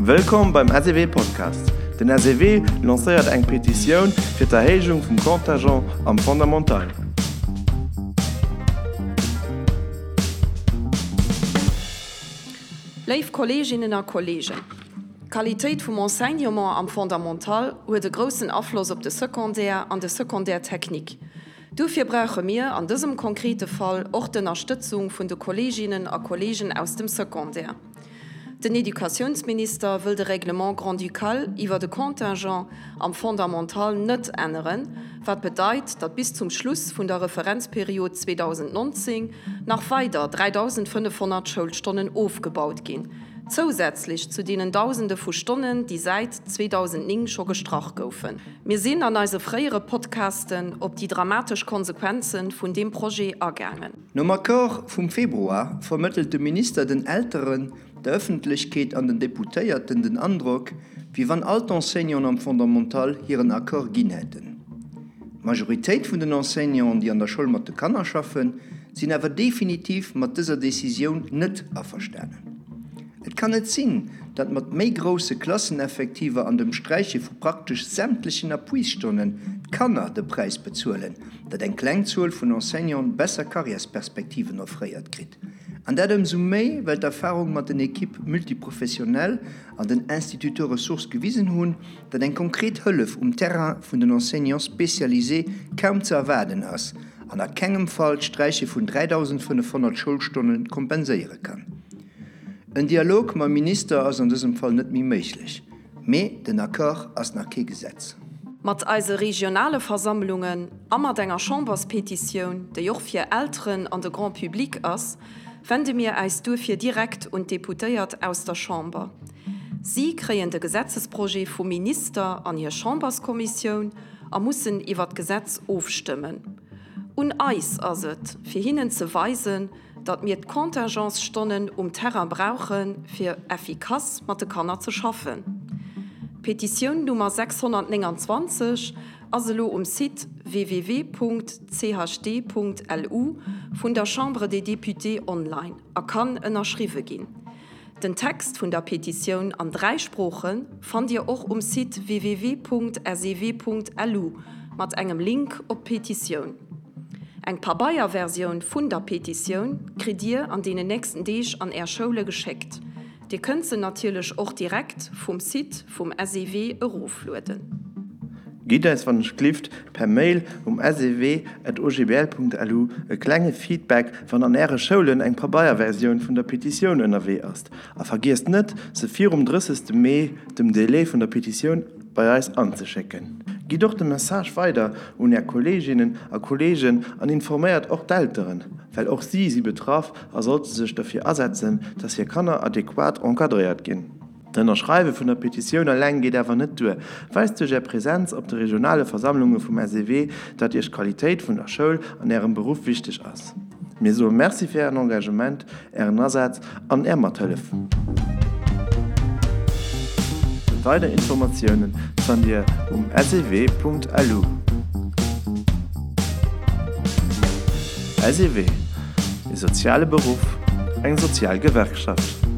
Wëllkomm beim SEW Podcast! Den SEW lancéiert eng Petitioun fir d'Erhéijung vum Contingent am Fondamental. Léif Kolleeginnen a Kolleegen, d'Qualitéit vum Enseignement am Fondamental huet e groussen Afloss op de Secondaire an de Secondaire technique. Duerfir brauche mir an dësem konkrete Fall och d'Ënnerstëtzung vun de Kolleeginnen a Kolleegen aus dem Secondaire. Den Educatiounsminister wëll de Règlement grand-ducal iwwer de Contingent am Fondamental net änneren, wat bedeit, datt bis zum Schluss vun der Referenzperiod 2019 nach weider 3.500 Schoulstonnen ofgebaut ginn, zousätzlech zu deenen Dausende vu Stonnen, déi säit 2009 scho gestrach goufen. Mir sinn an eise fréiere Podcasten op déi dramatesch Konsequenze vun deem Projet agaangen. Nom Accord vum Februar vermëttelt de Minister den Elteren, der Ëffentlechkeet an den Deputéierten den Androck, wéi wann all d'Enseignanten am Fondamental hiren Accord ginn hätten. D'Majoritéit vun den Enseignanten, déi an der Schoul mat de Kanner schaffen, sinn awer definitiv mat dëser Decisioun net averstanen. Et kann net sinn, datt mat méi grousse Klasseneffektiver an dem Sträiche vu praktesch sämtlechen Appuisstonnen d'Kanner de Präis bezuelen, datt eng kleng Zuel vun Enseignanten besser Karriärsperspektiven offréiert kritt. An dat ëmsou méi, well d'Erfahrung mat den Équipes multiprofessionnelles an den Instituteurs ressources gewisen hunn, datt eng konkret Hëllef um Terrain vun den Enseignants spécialisés kaum ze erwaarden ass an a kengem Fall d'Sträiche vun 3.500 Schoulstonne kompenséiere kann. En Dialog mam Minister ass an dësem Fall net méi méiglech, mee den Accord ass nach kee Gesetz. Mat eise regionale Versammlungen a mat enger Chamberspetitioun, déi och fir Elteren an de Grand Public ass, wende mir äis duerfir direkt un d'Deputéiert aus der Chamber. Si kréien de Gesetzesprojet vum Minister an hir Chamberskommissioun a mussen iwwer d'Gesetz ofstëmmen. Un eis ass et, fir hinnen ze weisen, datt mir d'Contingentsstonnen um Terrain brauchen, fir effikass mat de Kanner ze schaffen. D'Petitioun Nummer 629 ass elo um Site www.chd.lu vun der Chambre des Députés online a kann ënnerschriwwe ginn. Den Text vun der Petitioun an 3 Sprooche fannt Dir och um Site www.sew.lu mat engem Link op d'Petitioun. Eng Pabeierversioun vun der Petitioun kritt Dir an deenen nächsten Deeg an Är Schoule geschéckt. Dir kënnt se natierlech och direkt vum Site vum SEW eroflueden. Gitt eis wann ech glift per Mail um sew@ogbl.lu e klenge Feedback wann an äre Schoulen eng Pabeierversioun vun der Petitioun ënnerwee ass. A vergiesst net se virum 30 Mee, dem Délai vun der Petitioun, bei eis anzeschécken. Gitt och de Message weider un är Kolleeginnen a Kolleegen an informéiert och d'Elteren, well och si si betraff a sollte sech derfir asetzen, dass hir Kanner adequat encadréiert ginn. D'Ënnerschreiwe vun der Petitioun eleng geet awer net duer. Weist duerch Är Präsenz op de regionale Versammlunge vum SEW, datt Iech d'Qualitéit vun der Schoul an Ärem Beruff wichteg ass. Mir soe Merci fir Ären Engagement, Ären Asaz an Är Mathëllef. Weider Informatiounen fannt Dir um sew.lu. SEW, E soziale Beruff, eng sozial Gewerkschaft.